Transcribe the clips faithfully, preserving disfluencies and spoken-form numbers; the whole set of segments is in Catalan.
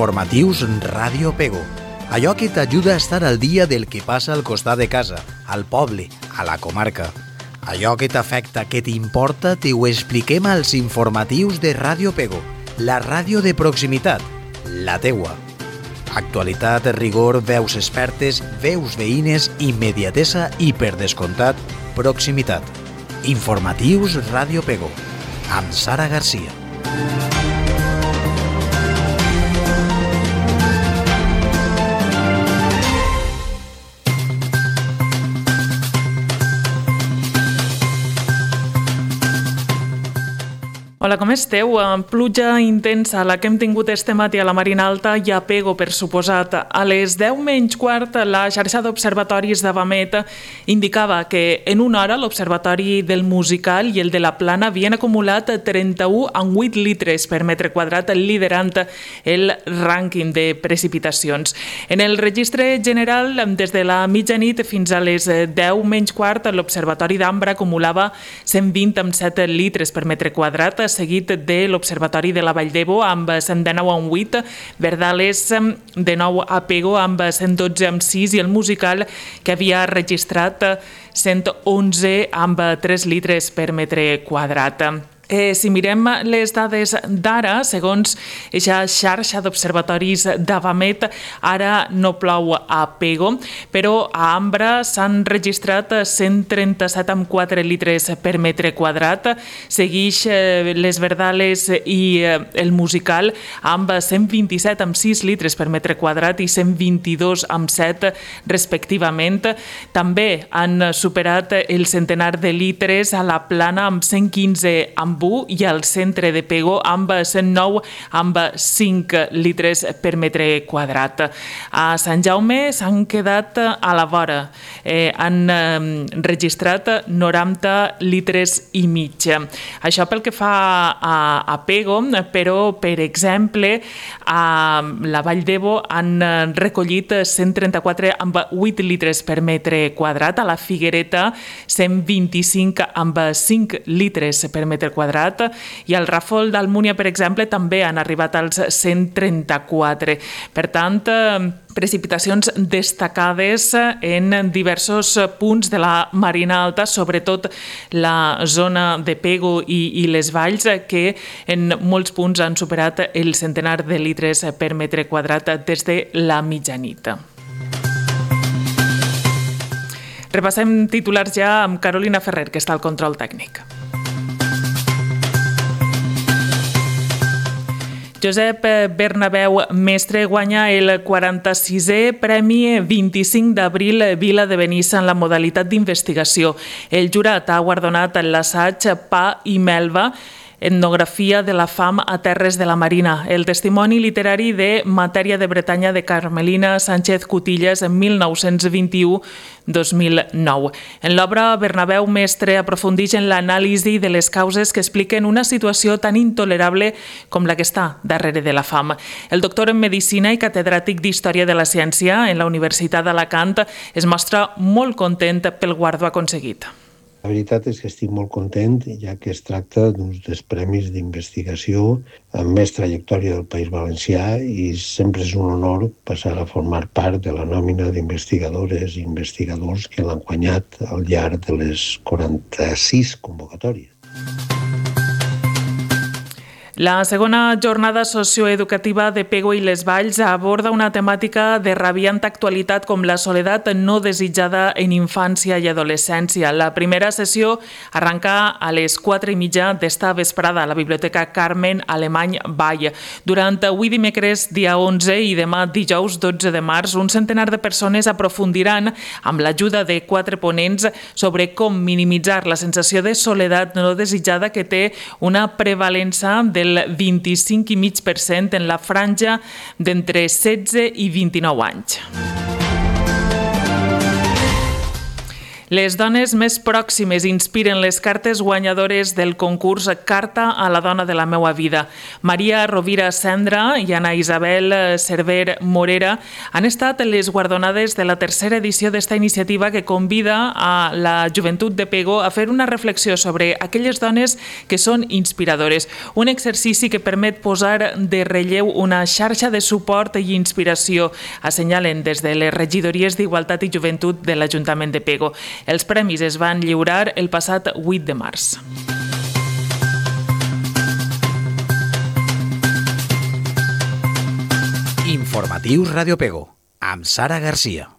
Informatius Ràdio Pego. Allò que t'ajuda a estar al dia del que passa al costat de casa, al poble, a la comarca. Allò que t'afecta, que t'importa, t'ho expliquem als informatius de Ràdio Pego, la ràdio de proximitat, la teua. Actualitat, rigor, veus expertes, veus veïnes, immediatesa i, per descomptat, proximitat. Informatius Ràdio Pego, amb Sara Garcia. Hola, com esteu? Pluja intensa, la que hem tingut este matí a la Marina Alta i a Pego, per suposat. A les deu menys quart, la xarxa d'observatoris d'Avamet indicava que en una hora l'observatori del Musical i el de la Plana havien acumulat trenta-u coma vuit litres per metre quadrat, liderant el rànquing de precipitacions. En el registre general, des de la mitjanit fins a les deu menys quart, l'observatori d'Ambra acumulava cent vint coma set litres per metre quadrat, seguit de l'Observatori de la Vall d'Ebo amb cent dinou coma vuit, Verdales de nou a Pego amb cent dotze coma sis i el Musical, que havia registrat cent onze amb tres litres per metre quadrat. Eh, si mirem les dades d'ara, segons aquesta xarxa d'observatoris d'Avamet, ara no plou a Pego, però a Ambra s'han registrat cent trenta-set coma quatre litres per metre quadrat, segueix eh, les Verdales i eh, el Musical amb cent vint-i-set coma sis litres per metre quadrat i cent vint-i-dos coma set respectivament. També han superat el centenar de litres a la Plana amb cent quinze coma i al centre de Pego amb cent nou amb cinc litres per metre quadrat. A Sant Jaume s'han quedat a la vora. Eh, han eh, registrat noranta litres i mig. Això pel que fa a, a Pego, però, per exemple, a la Vall d'Ebo han recollit cent trenta-quatre coma vuit litres per metre quadrat, a la Figuereta cent vint-i-cinc coma cinc litres per metre quadrat, i al Ràfol d'Almúnia, per exemple, també han arribat als cent trenta-quatre. Per tant, precipitacions destacades en diversos punts de la Marina Alta, sobretot la zona de Pego i, i les valls, que en molts punts han superat el centenar de litres per metre quadrat des de la mitjanit. Repassem titulars ja amb Carolina Ferrer, que està al control tècnic. Josep Bernabéu Mestre guanya el quaranta-sisè Premi vint-i-cinc d'abril Vila de Benissa en la modalitat d'investigació. El jurat ha guardonat l'assaig Pa i Melva, etnografia de la fam a terres de la Marina, el testimoni literari de Matèria de Bretanya de Carmelina Sánchez Cutillas en mil nou-cents vint-i-u a dos mil nou. En l'obra, Bernabéu Mestre aprofundeix en l'anàlisi de les causes que expliquen una situació tan intolerable com la que està darrere de la fam. El doctor en Medicina i catedràtic d'Història de la Ciència en la Universitat d'Alacant es mostra molt content pel guardó aconseguit. La veritat és que estic molt content, ja que es tracta d'uns dels premis d'investigació amb més trajectòria del País Valencià i sempre és un honor passar a formar part de la nòmina d'investigadores i investigadors que l'han guanyat al llarg de les quaranta-sis convocatòries. La segona jornada socioeducativa de Pego i les Valls aborda una temàtica de rabiant actualitat com la soledat no desitjada en infància i adolescència. La primera sessió arranca a les quatre i mitja d'esta vesprada a la Biblioteca Carmen Alemany Vall. Durant avui dimecres, dia onze, i demà dijous dotze de març, un centenar de persones aprofundiran, amb l'ajuda de quatre ponents, sobre com minimitzar la sensació de soledat no desitjada que té una prevalença del vint-i-cinc coma cinc per cent en la franja d'entre setze i vint-i-nou anys. Les dones més pròximes inspiren les cartes guanyadores del concurs Carta a la dona de la meua vida. Maria Rovira Cendra i Ana Isabel Cerver Morera han estat les guardonades de la tercera edició d'esta iniciativa que convida a la joventut de Pego a fer una reflexió sobre aquelles dones que són inspiradores. Un exercici que permet posar de relleu una xarxa de suport i inspiració, assenyalen des de les regidories d'Igualtat i Joventut de l'Ajuntament de Pego. Els premis es van lliurar el passat vuit de març. Informatius Radio Pego, amb Sara Garcia.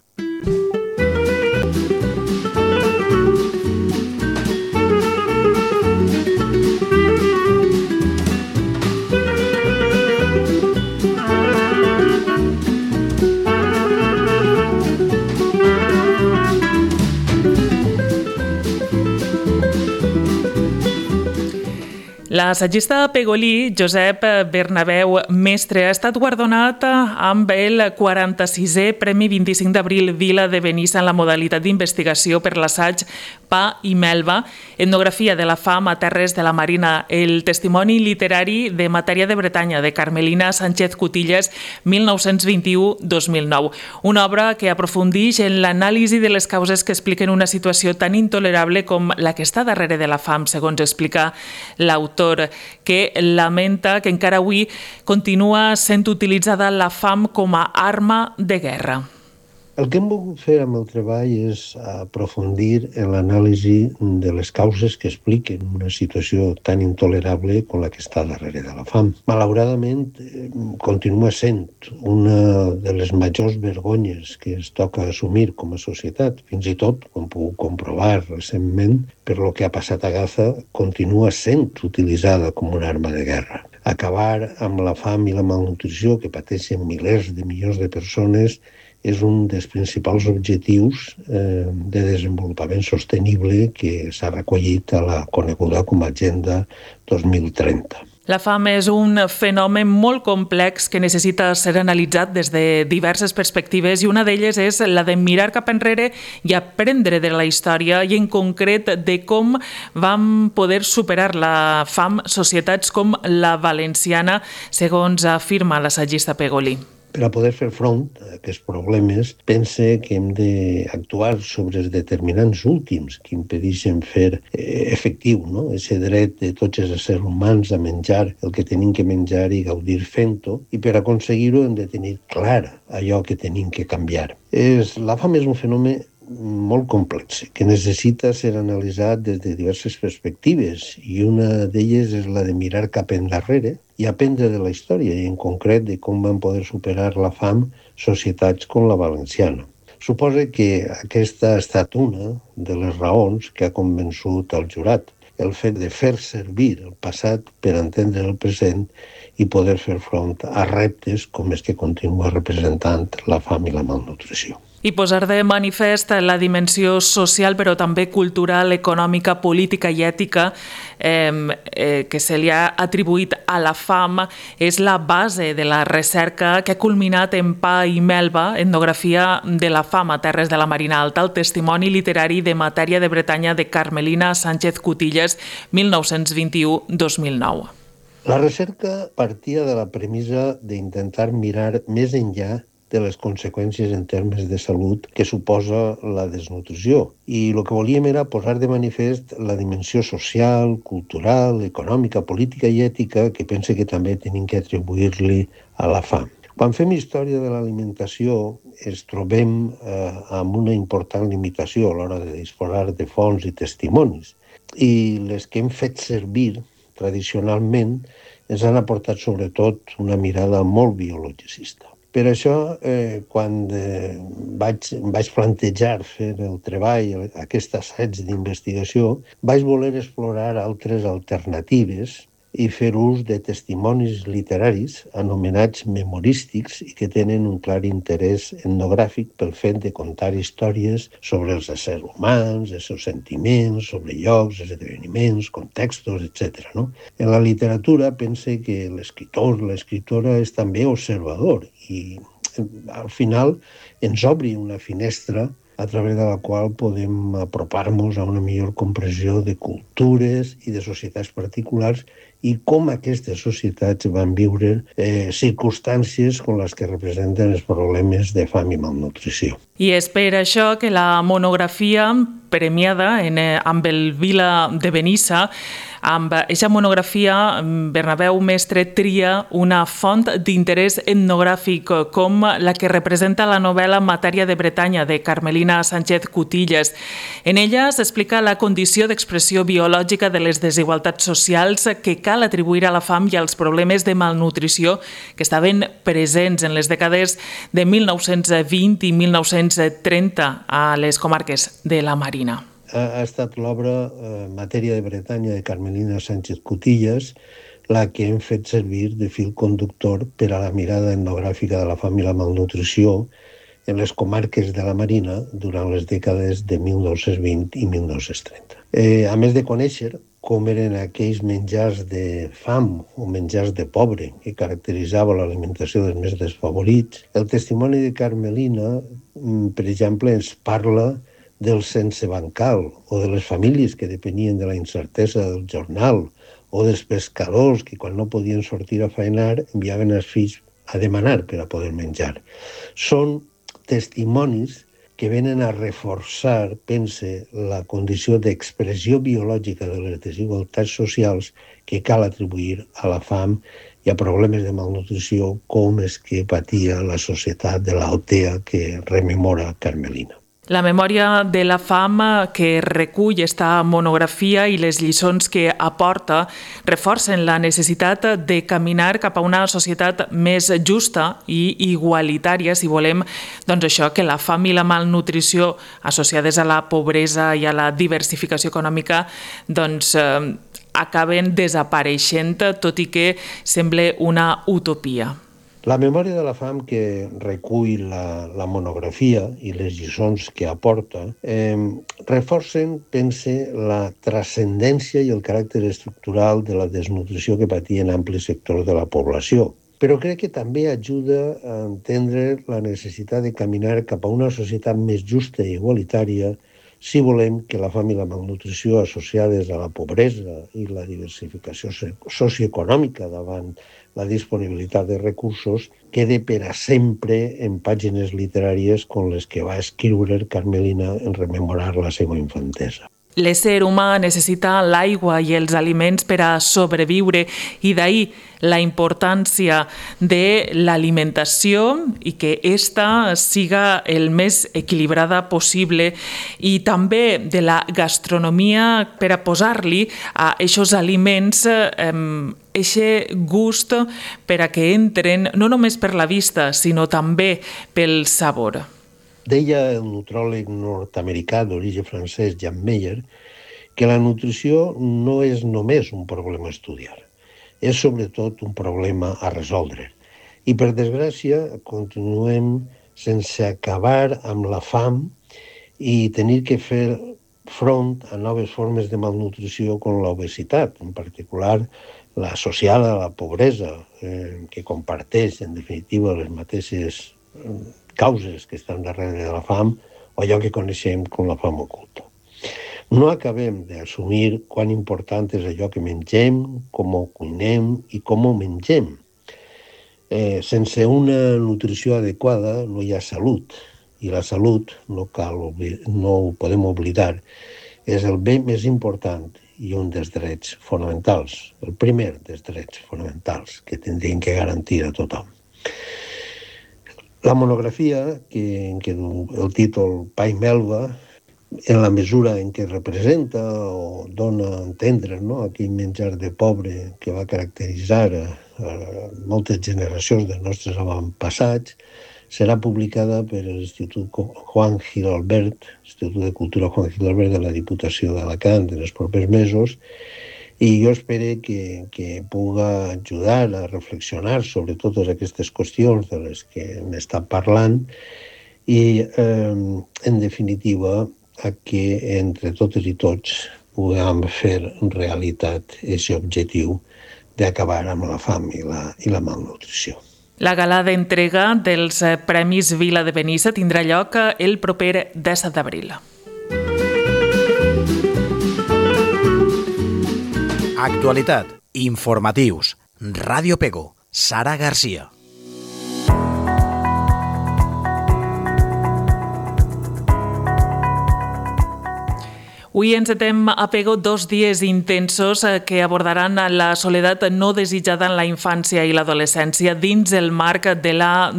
L'assagista pegolí Josep Bernabeu Mestre ha estat guardonat amb el quaranta-sisè Premi vint-i-cinc d'abril Vila de Benissa en la modalitat d'investigació per l'assaig Pa i Melva, etnografia de la fam a terres de la Marina, el testimoni literari de matèria de Bretanya de Carmelina Sánchez Cutillas, mil nou-cents vint-i-u a dos mil nou. Una obra que aprofundeix en l'anàlisi de les causes que expliquen una situació tan intolerable com la que està darrere de la fam, segons explica l'autor, que lamenta que encara avui continua sent utilitzada la fam com a arma de guerra. El que hem volgut fer amb el treball és aprofundir en l'anàlisi de les causes que expliquen una situació tan intolerable com la que està darrere de la fam. Malauradament, continua sent una de les majors vergonyes que es toca assumir com a societat. Fins i tot, com puc comprovar recentment, per lo que ha passat a Gaza, continua sent utilitzada com una arma de guerra. Acabar amb la fam i la malnutrició que pateixen milers de milions de persones és un dels principals objectius eh, de desenvolupament sostenible que s'ha recollit a la coneguda com a Agenda dos mil trenta. La fam és un fenomen molt complex que necessita ser analitzat des de diverses perspectives i una d'elles és la de mirar cap enrere i aprendre de la història i en concret de com vam poder superar la fam societats com la valenciana, segons afirma l'assagista pegolí. Per a poder fer front a aquests problemes, pense que hem d'actuar sobre els determinants últims que impedeixen fer efectiu no? Ese dret de tots els éssers humans a menjar el que tenim que menjar i gaudir fent-ho, i per aconseguir-ho hem de tenir clar allò que tenim que canviar. És, la fam és un fenomen molt complex, que necessita ser analitzat des de diverses perspectives, i una d'elles és la de mirar cap endarrere i aprendre de la història, i en concret de com van poder superar la fam societats com la valenciana. Suposa que aquesta ha estat una de les raons que ha convençut el jurat, el fet de fer servir el passat per entendre el present i poder fer front a reptes com els que continua representant la fam i la malnutrició. I posar de manifest la dimensió social, però també cultural, econòmica, política i ètica eh, eh, que se li ha atribuït a la fam és la base de la recerca que ha culminat en Pa i Melva, etnografia de la fam a terres de la Marina Alta, el testimoni literari de matèria de Bretanya de Carmelina Sánchez Cutillas, mil nou-cents vint-i-u a dos mil nou. La recerca partia de la premissa d'intentar mirar més enllà de les conseqüències en termes de salut que suposa la desnutrició. I el que volíem era posar de manifest la dimensió social, cultural, econòmica, política i ètica que pense que també tenim que atribuir-li a la fam. Quan fem història de l'alimentació ens trobem eh, amb una important limitació a l'hora de disposar de fonts i testimonis. I les que hem fet servir tradicionalment ens han aportat sobretot una mirada molt biologicista. Per això, eh, quan eh, vaig, vaig plantejar fer el treball, aquest assaig d'investigació, vaig voler explorar altres alternatives i fer ús de testimonis literaris anomenats memorístics i que tenen un clar interès etnogràfic pel fet de contar històries sobre els éssers humans, els seus sentiments, sobre llocs, esdeveniments, contextos, etcètera. No? En la literatura pense que l'escriptor, l'escriptora és també observador i al final ens obri una finestra a través de la qual podem apropar-nos a una millor comprensió de cultures i de societats particulars i com aquestes societats van viure eh, circumstàncies com les que representen els problemes de fam i malnutrició. I és per això que la monografia premiada en, eh, amb el Vila de Benissa, amb aquesta monografia, Bernabéu Mestre tria una font d'interès etnogràfic com la que representa la novel·la Matèria de Bretanya de Carmelina Sánchez Cutillas. En ella s'explica la condició d'expressió biològica de les desigualtats socials que cal atribuir a la fam i als problemes de malnutrició que estaven presents en les dècades de mil nou-cents vint i mil nou-cents trenta a les comarques de la Marina. Ha estat l'obra eh, Matèria de Bretanya de Carmelina Sánchez Cutillas la que hem fet servir de fil conductor per a la mirada etnogràfica de la fam i la malnutrició en les comarques de la Marina durant les dècades de mil nou-cents vint i mil nou-cents trenta. Eh, a més de conèixer com eren aquells menjars de fam o menjars de pobre que caracteritzava l'alimentació dels més desfavorits, el testimoni de Carmelina, per exemple, ens parla del sense bancal o de les famílies que depenien de la incertesa del jornal o dels pescadors que quan no podien sortir a faenar enviaven els fills a demanar per a poder menjar. Són testimonis que venen a reforçar, pense, la condició d'expressió biològica de les desigualtats socials que cal atribuir a la fam i a problemes de malnutrició com és que patia la societat de l'Altea que rememora Carmelina. La memòria de la fam que recull esta monografia i les lliçons que aporta reforcen la necessitat de caminar cap a una societat més justa i igualitària, si volem, doncs això, que la fam i la malnutrició associades a la pobresa i a la diversificació econòmica doncs, eh, acaben desapareixent, tot i que sembla una utopia. La memòria de la fam que recull la, la monografia i les lliçons que aporta eh, reforcen, pense, la transcendència i el caràcter estructural de la desnutrició que patien amplis sectors de la població. Però crec que també ajuda a entendre la necessitat de caminar cap a una societat més justa i igualitària si volem que la fam i la malnutrició associades a la pobresa i la diversificació socioeconòmica davant la disponibilitat de recursos quede per a sempre en pàgines literàries com les que va escriure Carmelina en rememorar la seva infantesa. L'ésser humà necessita l'aigua i els aliments per a sobreviure i d'ahir la importància de l'alimentació i que ésta siga el més equilibrada possible i també de la gastronomia per a posar-li a aquests aliments eixe gust per a que entren no només per la vista sinó també pel sabor. Deia el nutròleg nord-americà d'origen francès, Jan Meyer, que la nutrició no és només un problema a estudiar, és sobretot un problema a resoldre. I, per desgràcia, continuem sense acabar amb la fam i tenir que fer front a noves formes de malnutrició com l'obesitat, en particular l'associada a la pobresa, eh, que comparteix, en definitiva, les mateixes causes que estan darrere de la fam o allò que coneixem com la fam oculta. No acabem d'assumir quan important és allò que mengem, com ho cuinem i com ho mengem. Eh, sense una nutrició adequada no hi ha salut i la salut, no, cal, no ho podem oblidar, és el bé més important i un dels drets fonamentals, el primer dels drets fonamentals que tindrien que garantir a tothom. La monografia, que, que el títol Pa i Melva, en la mesura en què representa o dona a entendre, no, aquell menjar de pobre que va caracteritzar a, a moltes generacions dels nostres avantpassats, serà publicada per l'Institut Juan Gil-Albert, Institut de Cultura Juan Gil-Albert de la Diputació d'Alacant en els propers mesos, i jo espero que, que puga ajudar a reflexionar sobre totes aquestes qüestions de les que hem estat parlant i, eh, en definitiva, a que entre totes i tots puguem fer realitat aquest objectiu d'acabar amb la fam i la, i la malnutrició. La gala d'entrega dels Premis Vila de Benissa tindrà lloc el proper disset d'abril. Actualitat, informatius, Ràdio Pego, Sara Garcia. Avui encetem a Pego dos dies intensos que abordaran la soledat no desitjada en la infància i l'adolescència dins el marc de la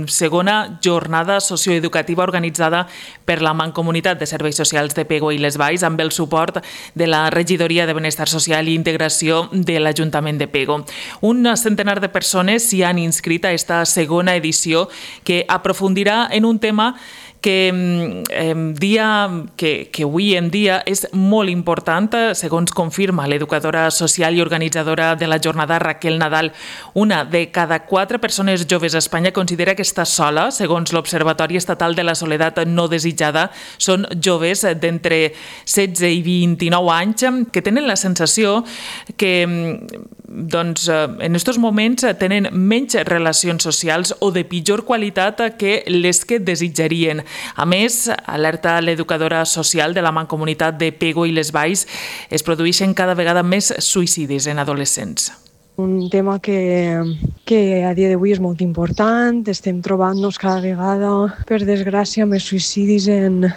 segona jornada socioeducativa organitzada per la Mancomunitat de Serveis Socials de Pego i les Valls amb el suport de la Regidoria de Benestar Social i Integració de l'Ajuntament de Pego. Un centenar de persones s'hi han inscrit a esta segona edició que aprofundirà en un tema que, eh, dia, que, que avui en dia és molt important, segons confirma l'educadora social i organitzadora de la jornada Raquel Nadal. Una de cada quatre persones joves a Espanya considera que està sola, segons l'Observatori Estatal de la Soledat No Desitjada. Són joves d'entre setze i vint-i-nou anys que tenen la sensació que doncs, en aquests moments tenen menys relacions socials o de pitjor qualitat que les que desitjarien. A més, alerta l'educadora social de la Mancomunitat de Pego i les Valls, es produeixen cada vegada més suïcidis en adolescents. Un tema que, que a dia d'avui és molt important. Estem trobant-nos cada vegada, per desgràcia, més suïcidis en,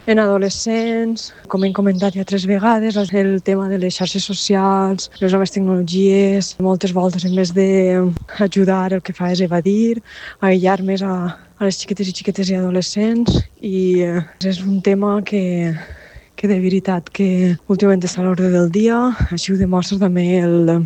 en adolescents. Com hem comentat ja tres vegades, el tema de les xarxes socials, les noves tecnologies, moltes voltes en vez d'ajudar el que fa és evadir, aïllar més a, a les xiquetes i xiquetes i adolescents, i és un tema que, que de veritat que últimament està a l'ordre del dia. Així ho demostra també el,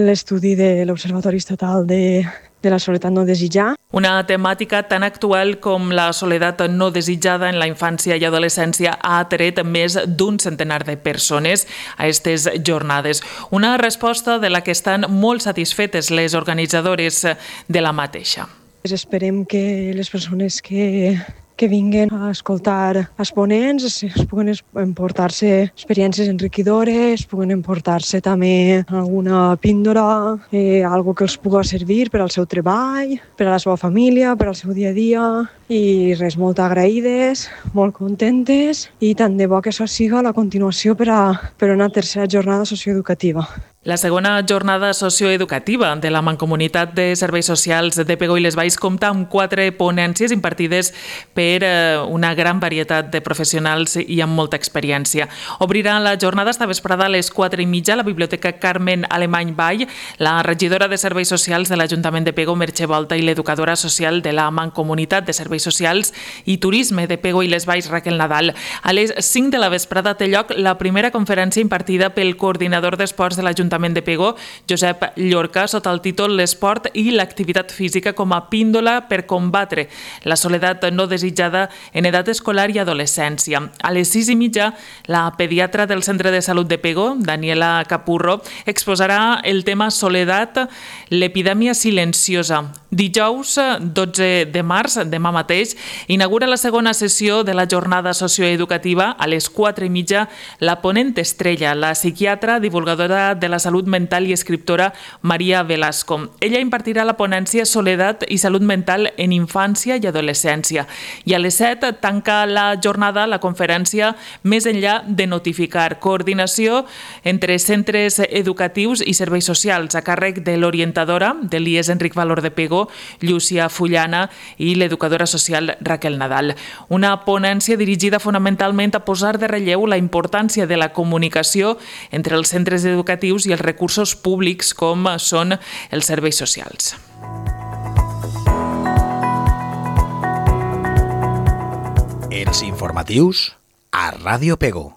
l'estudi de l'Observatori Estatal de, de la Soledat No Desitjada. Una temàtica tan actual com la soledat no desitjada en la infància i adolescència ha atret més d'un centenar de persones a aquestes jornades. Una resposta de la que estan molt satisfetes les organitzadores de la mateixa. Esperem que les persones que, que vinguen a escoltar els ponents es puguen emportar-se experiències enriquidores, puguen emportar-se també alguna píndola, eh, algo que els pugui servir per al seu treball, per a la seva família, per al seu dia a dia, i res, molt agraïdes, molt contentes, i tant de bo que això siga la continuació per a, per a una tercera jornada socioeducativa. La segona jornada socioeducativa de la Mancomunitat de Serveis Socials de Pego i les Valls compta amb quatre ponències impartides per una gran varietat de professionals i amb molta experiència. Obrirà la jornada esta vesprada a les quatre i mitja a la Biblioteca Carmen Alemany Vall, la regidora de Serveis Socials de l'Ajuntament de Pego, Merche Volta, i l'educadora social de la Mancomunitat de Serveis Socials i Turisme de Pego i les Valls, Raquel Nadal. A les cinc de la vesprada té lloc la primera conferència impartida pel coordinador d'esports de l'Ajuntament de Pego, Josep Llorca, sota el títol L'esport i l'activitat física com a píndola per combatre la soledat no desitjada en edat escolar i adolescència. A les sis i mitja, la pediatra del Centre de Salut de Pego, Daniela Capurro, exposarà el tema soledat, l'epidèmia silenciosa. Dijous, dotze de març, demà mateix, inaugura la segona sessió de la jornada socioeducativa. A les quatre i mitja, la ponent estrella, la psiquiatra, divulgadora de la salut mental i escriptora Maria Velasco. Ella impartirà la ponència Soledat i salut mental en infància i adolescència. I a les set tanca la jornada la conferència Més enllà de notificar, coordinació entre centres educatius i serveis socials a càrrec de l'orientadora de l'I E S Enric Valor de Pego, Llúcia Fullana, i l'educadora social Raquel Nadal. Una ponència dirigida fonamentalment a posar de relleu la importància de la comunicació entre els centres educatius i els recursos públics com són els serveis socials. Els informatius a Ràdio Pego.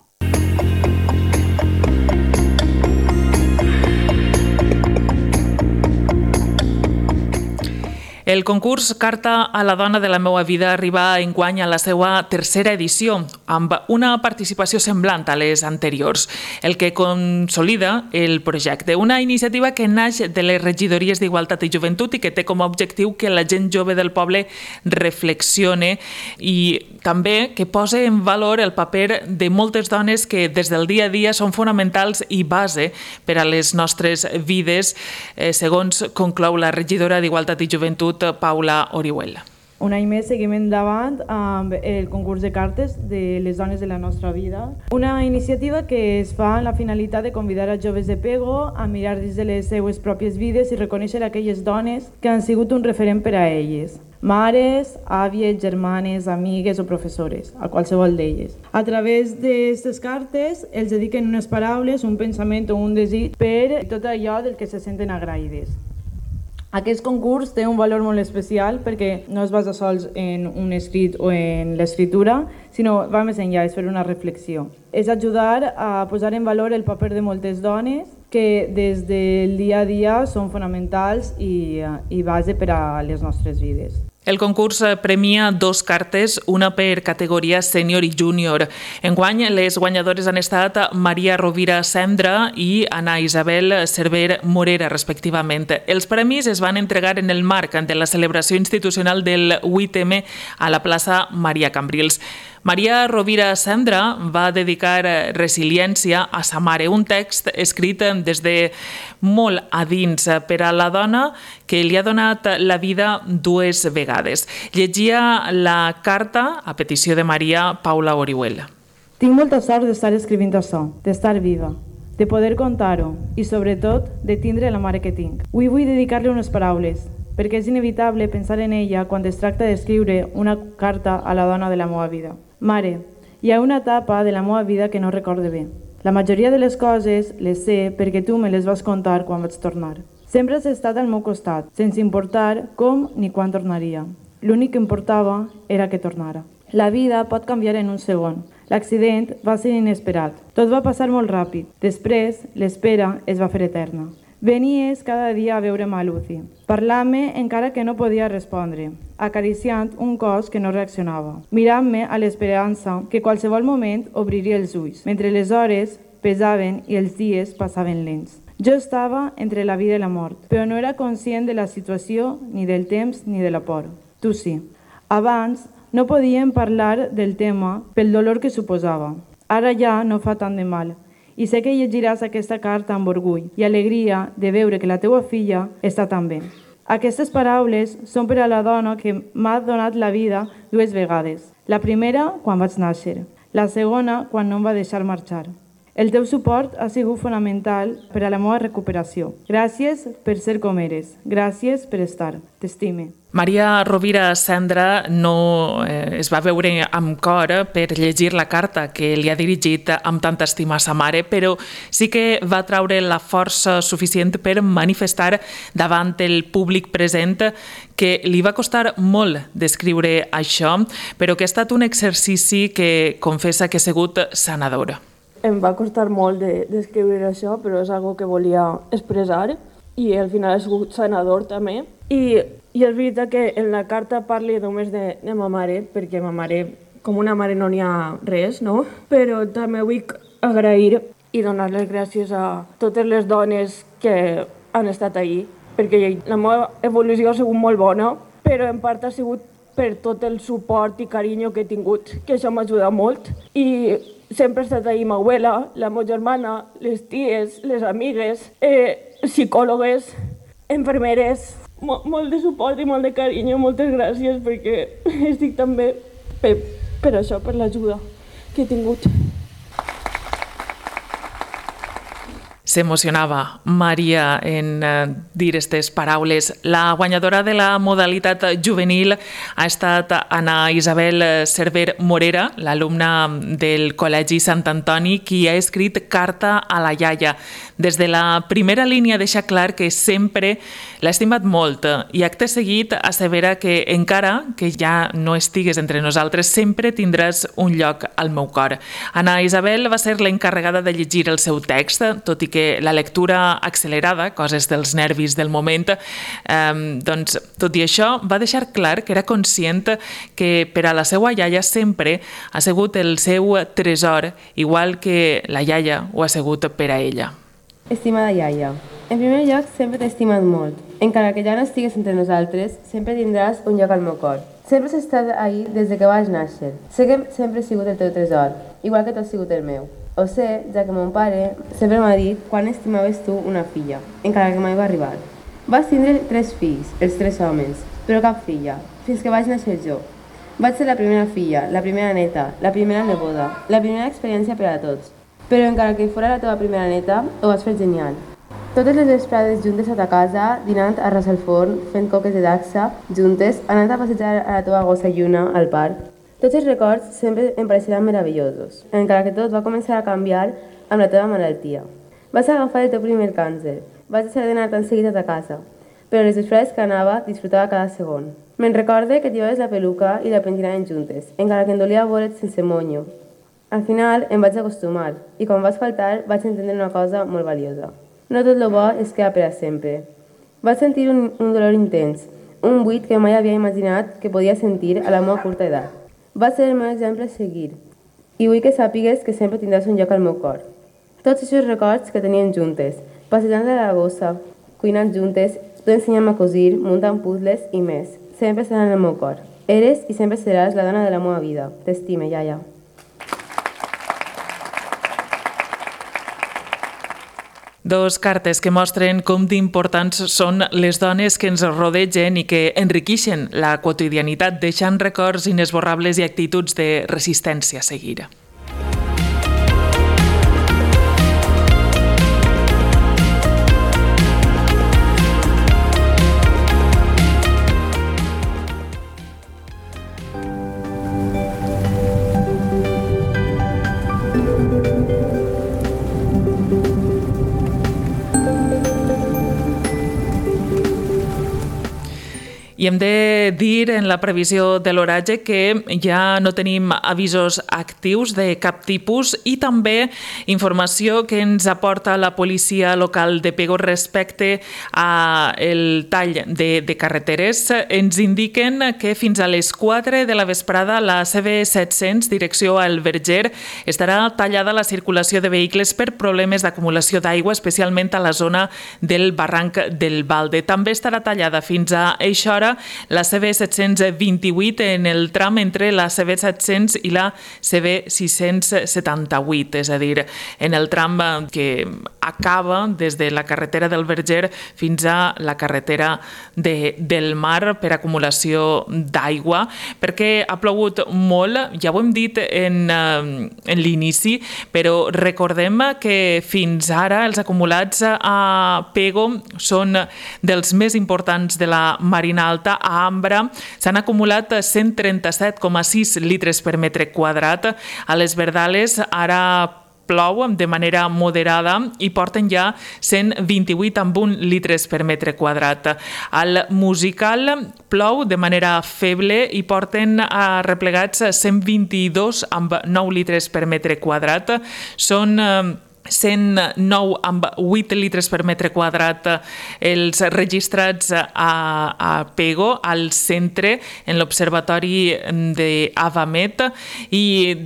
El concurs Carta a la dona de la meua vida arriba enguany a la seva tercera edició. amb una participació semblant a les anteriors, el que consolida el projecte. Una iniciativa que naix de les regidories d'Igualtat i Joventut i que té com a objectiu que la gent jove del poble reflexione i també que posa en valor el paper de moltes dones que des del dia a dia són fonamentals i base per a les nostres vides, eh, segons conclou la regidora d'Igualtat i Joventut, Paula Orihuela. Un any més seguim endavant amb el concurs de cartes de les dones de la nostra vida. Una iniciativa que es fa amb la finalitat de convidar a joves de Pego a mirar dins de les seues pròpies vides i reconèixer aquelles dones que han sigut un referent per a elles. Mares, àvies, germanes, amigues o professores, a qualsevol d'elles. A través d'aquestes cartes els dediquen unes paraules, un pensament o un desig per tot allò del que se senten agraïdes. Aquest concurs té un valor molt especial perquè no es basa sols en un escrit o en l'escriptura, sinó va més enllà, és fer una reflexió. És ajudar a posar en valor el paper de moltes dones que des del dia a dia són fonamentals i, i base per a les nostres vides. El concurs premia dos cartes, una per categoria sènior i júnior. Enguany, les guanyadores han estat Maria Rovira Cendra i Ana Isabel Cerver Morera, respectivament. Els premis es van entregar en el marc de la celebració institucional del vuit eme a la plaça Maria Cambrils. Maria Rovira Cendra va dedicar Resiliència a sa mare, un text escrit des de molt a dins per a la dona que li ha donat la vida dues vegades. Llegia la carta, a petició de Maria, Paula Orihuela. Tinc molta sort d'estar escrivint això, d'estar viva, de poder contar-ho i, sobretot, de tindre la mare que tinc. Avui vull dedicar-li unes paraules, perquè és inevitable pensar en ella quan es tracta d'escriure una carta a la dona de la meva vida. Mare, hi ha una etapa de la meva vida que no recorde bé. La majoria de les coses les sé perquè tu me les vas contar quan vaig tornar. Sempre has estat al meu costat, sense importar com ni quan tornaria. L'únic que importava era que tornara. La vida pot canviar en un segon. L'accident va ser inesperat. Tot va passar molt ràpid. Després, l'espera es va fer eterna. Venies cada dia a veure'm a Lucy. Parlar-me encara que no podia respondre, acariciant un cos que no reaccionava, mirant-me a l'esperança que qualsevol moment obriria els ulls, mentre les hores pesaven i els dies passaven lents. Jo estava entre la vida i la mort, però no era conscient de la situació, ni del temps, ni de la por. Tu sí. Abans no podíem parlar del tema pel dolor que suposava. Ara ja no fa tant de mal. I sé que llegiràs aquesta carta amb orgull i alegria de veure que la teua filla està tan bé. Aquestes paraules són per a la dona que m'ha donat la vida dues vegades. La primera, quan vaig néixer. La segona, quan no em va deixar marxar. El teu suport ha sigut fonamental per a la meva recuperació. Gràcies per ser com eres. Gràcies per estar. T'estime. Maria Rovira Cendra no eh, es va veure amb cor per llegir la carta que li ha dirigit amb tanta estima a sa mare, però sí que va traure la força suficient per manifestar davant el públic present que li va costar molt d'escriure això, però que ha estat un exercici que confessa que ha sigut sanador. Em va costar molt d'escriure de, això, però és algo que volia expressar i al final ha sigut sanador també. I, i és veritat que en la carta parli només de, de ma mare, perquè ma mare, com una mare no n'hi ha res, no? Però també vull agrair i donar les gràcies a totes les dones que han estat ahí, perquè la meva evolució ha sigut molt bona, però en part ha sigut per tot el suport i carinyo que he tingut, que això m'ha ajudat molt. I sempre ha estat ahí ma abuela, la meva germana, les ties, les amigues, eh, psicòlogues, infermeres, Mo molt de suport i molt de carinyo, moltes gràcies perquè estic tan bé per, per això, per l'ajuda que he tingut. S'emocionava Maria en eh, dir aquestes paraules. La guanyadora de la modalitat juvenil ha estat Ana Isabel Cerver Morera, l'alumna del Col·legi Sant Antoni, qui ha escrit Carta a la iaia. Des de la primera línia deixa clar que sempre l'ha estimat molt i acte seguit assevera que encara que ja no estigues entre nosaltres sempre tindràs un lloc al meu cor. Ana Isabel va ser l'encarregada de llegir el seu text, tot i que que la lectura accelerada, coses dels nervis del moment, eh, doncs, tot i això, va deixar clar que era conscient que per a la seva iaia sempre ha sigut el seu tresor, igual que la iaia ho ha sigut per a ella. Estimada iaia, en primer lloc sempre t'he estimat molt. Encara que ja no estigues entre nosaltres, sempre tindràs un lloc al meu cor. Sempre has estat ahí des de que vaig néixer. Sé que sempre he sigut el teu tresor, igual que tu has sigut el meu. Ho sé, ja que mon pare sempre m'ha dit quan estimaves tu una filla, encara que mai va arribar. Vas tindre tres fills, els tres homes, però cap filla, fins que vaig néixer jo. Vaig ser la primera filla, la primera neta, la primera neboda, la primera experiència per a tots. Però encara que fora la teva primera neta, ho vas fer genial. Totes les vesprades juntes a ta casa, dinant a ras al forn, fent coques de dacsa, juntes, anant a passejar a la teva gossa lluna al parc. Tots els records sempre em pareixeran meravellosos, encara que tot va començar a canviar amb la teva malaltia. Vas agafar el teu primer càncer, vas deixar d'anar tan seguit a ta casa, però les vesprades que anava disfrutava cada segon. Me'n recorde que t'hi la peluca i la pentinaven juntes, encara que em dolia veure't sense monyo. Al final em vaig acostumar, i quan vas faltar vaig entendre una cosa molt valiosa. No tot el bo es queda per a sempre. Vaig sentir un, un dolor intens, un buit que mai havia imaginat que podia sentir a la meva curta edat. Va ser el meu exemple a seguir, i vull que sàpigues que sempre tindràs un lloc al meu cor. Tots aquests records que teníem juntes, passejant a la gossa, cuinant juntes, tu ensenyant-me a cosir, muntant puzzles i més, sempre seran al meu cor. Eres i sempre seràs la dona de la meva vida. T'estime, iaia. Dos cartes que mostren com d'importants són les dones que ens rodegen i que enriqueixen la quotidianitat, deixant records inesborrables i actituds de resistència a seguir. I hem de dir en la previsió de l'oratge que ja no tenim avisos actius de cap tipus i també informació que ens aporta la policia local de Pego respecte al tall de, de carreteres. Ens indiquen que fins a les quatre de la vesprada la C B set-cents, direcció al Verger, estarà tallada la circulació de vehicles per problemes d'acumulació d'aigua, especialment a la zona del barranc del Balde. També estarà tallada fins a eixa hora la C B set-cents vint-i-vuit en el tram entre la C B set-cents i la C B sis-cents setanta-vuit, és a dir, en el tram que acaba des de la carretera del Verger fins a la carretera de, del Mar per acumulació d'aigua, perquè ha plogut molt, ja ho hem dit en, en l'inici, però recordem que fins ara els acumulats a Pego són dels més importants de la Marina Alta. A Ambra s'han acumulat cent trenta-set coma sis litres per metre quadrat. A les Verdales ara plou de manera moderada i porten ja cent vint-i-vuit coma un litres per metre quadrat. Al Musical plou de manera feble i porten replegats cent vint-i-dos coma nou litres per metre quadrat. Són cent nou coma vuit litres per metre quadrat els registrats a, a Pego, al centre, en l'Observatori d'Avamet, i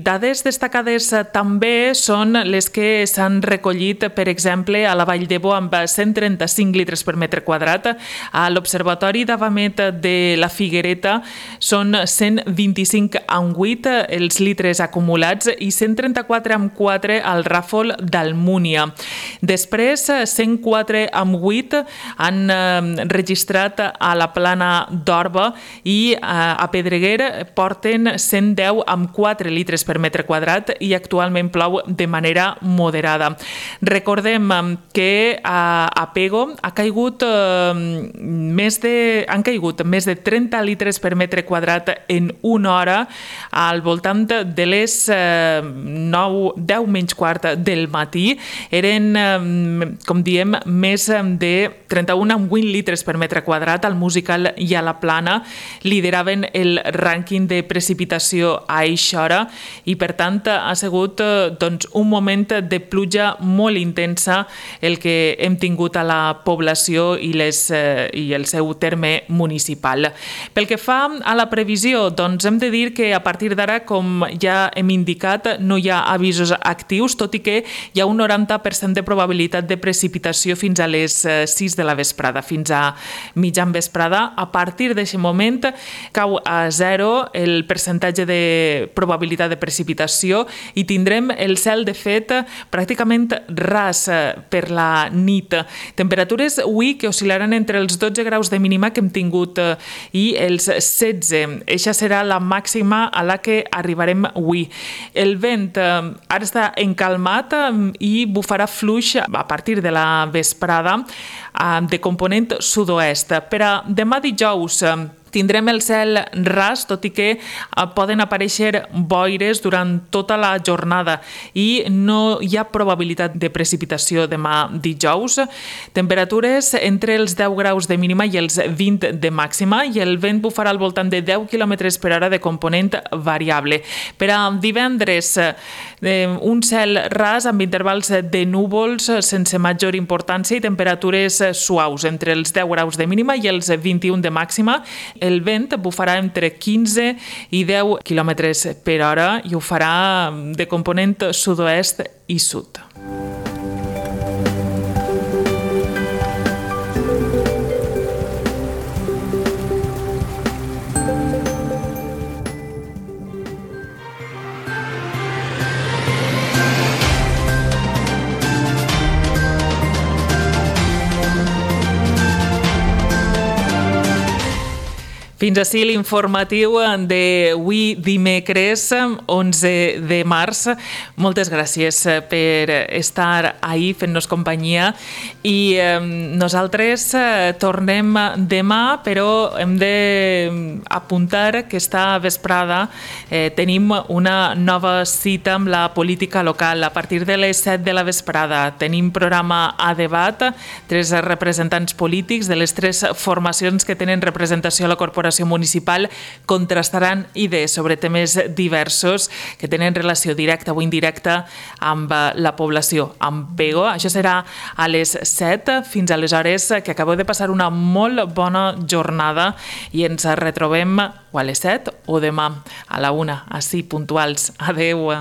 dades destacades també són les que s'han recollit, per exemple, a la Vall d'Ebo amb cent trenta-cinc litres per metre quadrat, a l'Observatori d'Avamet de la Figuereta són cent vint-i-cinc coma vuit els litres acumulats i cent trenta-quatre coma quatre al Ràfol del Múnia. Després, cent quatre coma vuit han registrat a la Plana d'Orba i a Pedreguer porten cent deu coma quatre litres per metre quadrat i actualment plou de manera moderada. Recordem que a Pego ha caigut més de, han caigut més de trenta litres per metre quadrat en una hora, al voltant de les nou, deu menys quart del matí. Eren, com diem, més de trenta-un coma vuit litres per metre quadrat al Musical i a la Plana. Lideraven el rànquing de precipitació a eixa hora i, per tant, ha sigut doncs, un moment de pluja molt intensa el que hem tingut a la població i, les, eh, i el seu terme municipal. Pel que fa a la previsió, doncs hem de dir que a partir d'ara, com ja hem indicat, no hi ha avisos actius, tot i que hi ha un noranta per cent de probabilitat de precipitació fins a les sis de la vesprada, fins a mitjan vesprada. A partir d'aquest moment cau a zero el percentatge de probabilitat de precipitació i tindrem el cel, de fet, pràcticament ras per la nit. Temperatures avui que oscil·laran entre els dotze graus de mínima que hem tingut i els setze. Eixa serà la màxima a la que arribarem avui. El vent ara està encalmat i bufarà fluix a partir de la vesprada de component sud-oest. Per a demà dijous tindrem el cel ras, tot i que poden aparèixer boires durant tota la jornada i no hi ha probabilitat de precipitació demà dijous. Temperatures entre els deu graus de mínima i els vint de màxima i el vent bufarà al voltant de deu quilòmetres per hora de component variable. Per a divendres, un cel ras amb intervals de núvols sense major importància i temperatures suaus entre els deu graus de mínima i els vint-i-un de màxima. El vent bufarà entre quinze i deu quilòmetres per hora i ho farà de component sud-oest i sud. Fins ací l'informatiu d'avui dimecres, onze de març. Moltes gràcies per estar ahí fent-nos companyia i eh, nosaltres eh, tornem demà, però hem d'apuntar que esta vesprada eh, tenim una nova cita amb la política local. A partir de les set de la vesprada tenim programa a debat, tres representants polítics de les tres formacions que tenen representació a la corporació municipal contrastaran idees sobre temes diversos que tenen relació directa o indirecta amb la població, amb Pego. Això serà a les set. Fins aleshores, que acabeu de passar una molt bona jornada i ens retrobem o a les set o demà a la una, així puntuals. Adeu.